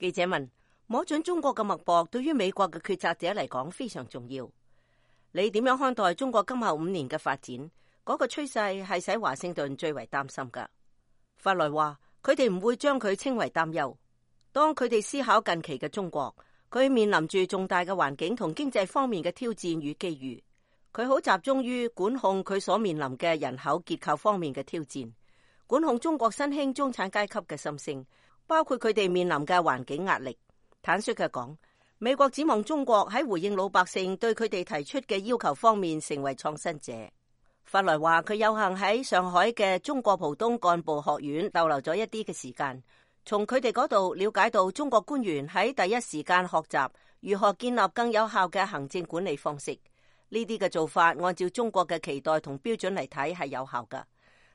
記者問：摸準中國嘅脈搏，對於美國嘅決策者嚟講非常重要。你點樣看待中國今後5年嘅發展？嗰個趨勢係使華盛頓最為擔心㗎。法萊話：佢哋唔會將佢稱為擔憂。當佢哋思考近期嘅中國，佢面臨住重大嘅環境同經濟方面嘅挑戰與機遇。佢好集中於管控佢所面臨嘅人口結構方面嘅挑戰，管控中國新興中產階級嘅心聲，包括佢哋面臨嘅環境壓力。坦率嘅講，美國指望中國喺回應老百姓對佢哋提出嘅要求方面成為創新者。法萊話佢有幸喺上海嘅中國浦東幹部學院逗留咗一啲嘅時間，從佢哋嗰度了解到中國官員喺第一時間學習如何建立更有效嘅行政管理方式。呢啲嘅做法按照中國嘅期待同標準嚟睇係有效㗎，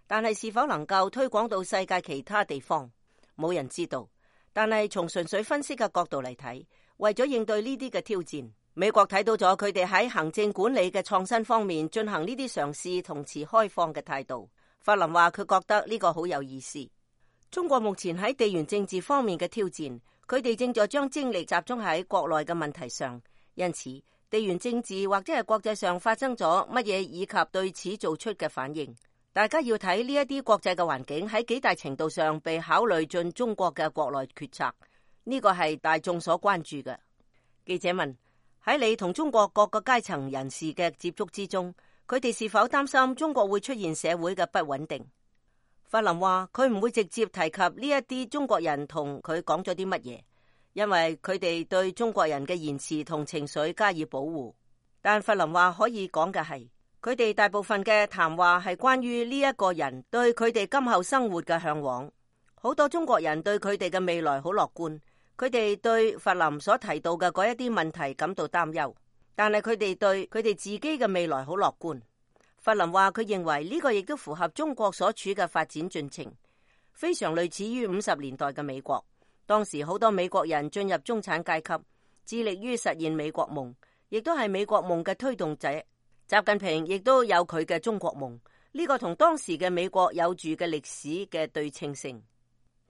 但係是否能夠推廣到世界其他地方，冇人知道。但係從純粹分析嘅角度嚟睇，為咗應對呢啲嘅挑戰，美國睇到咗佢哋喺行政管理嘅創新方面進行呢啲嘗試同持開放嘅態度。法林話佢覺得呢個好有意思。中國目前喺地緣政治方面嘅挑戰，佢哋正在將精力集中喺國內嘅問題上，因此地緣政治或者係國際上發生咗乜嘢，以及對此做出嘅反應，大家要睇呢一啲國際嘅環境喺幾大程度上被考慮進中國嘅國內決策，呢個係大眾所關注嘅。記者問：喺你同中國各個階層人士嘅接觸之中，佢哋是否擔心中國會出現社會嘅不穩定？法林話佢唔會直接提及呢一啲中國人同佢講咗啲乜嘢，因為佢哋對中國人嘅言辭同情緒加以保護。但法林話可以講嘅係，佢哋大部分嘅談話係關於呢一個人對佢哋今後生活嘅向往。好多中國人對佢哋嘅未來好樂觀，佢哋對法林所提到嘅嗰一啲問題感到擔憂，但係佢哋對佢哋自己嘅未來好樂觀。法林話佢認為呢個亦都符合中國所處嘅發展進程，非常類似於50年代嘅美國。當時好多美國人進入中產階級，致力於實現美國夢，亦都係美國夢嘅推動者。習近平亦都有佢嘅中國夢，呢個同當時嘅美國有住嘅歷史嘅對稱性。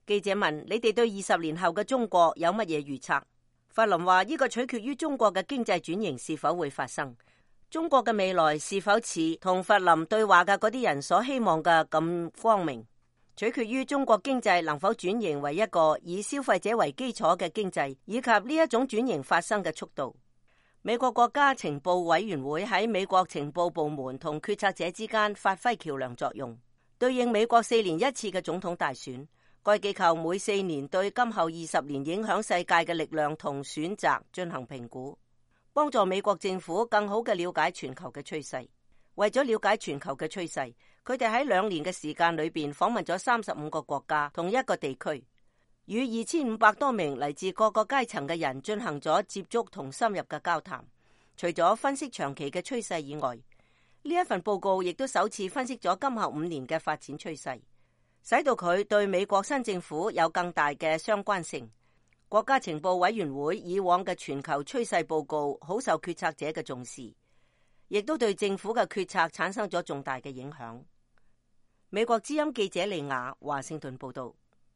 記者問：你哋對20年後嘅中國有乜嘢預測？法林話呢個取決於中國嘅經濟轉型是否會發生，中國嘅未來是否似同法林對話嘅嗰啲人所希望嘅咁光明，取決於中國經濟能否轉型為一個以消費者為基礎嘅經濟，以及呢一種轉型發生嘅速度。美國國家情報委員會喺美國情報部門同決策者之間發揮橋樑作用，對應美國4年一次嘅總統大選。該機構每4年對今後20年影響世界嘅力量同選擇進行評估，幫助美國政府更好嘅了解全球嘅趨勢。為咗了解全球嘅趨勢，佢哋喺2年嘅時間裏邊訪問咗35個國家同一個地區，與2500多名嚟自各個階層嘅人進行咗接觸同深入嘅交談。除咗分析長期嘅趨勢以外，呢一份報告亦都首次分析咗今後5年嘅發展趨勢，使到佢對美國新政府有更大嘅相關性。國家情報委員會以往嘅全球趨勢報告好受決策者嘅重視，亦都對政府嘅決策產生咗重大嘅影響。美國之音記者利亞華盛頓報道。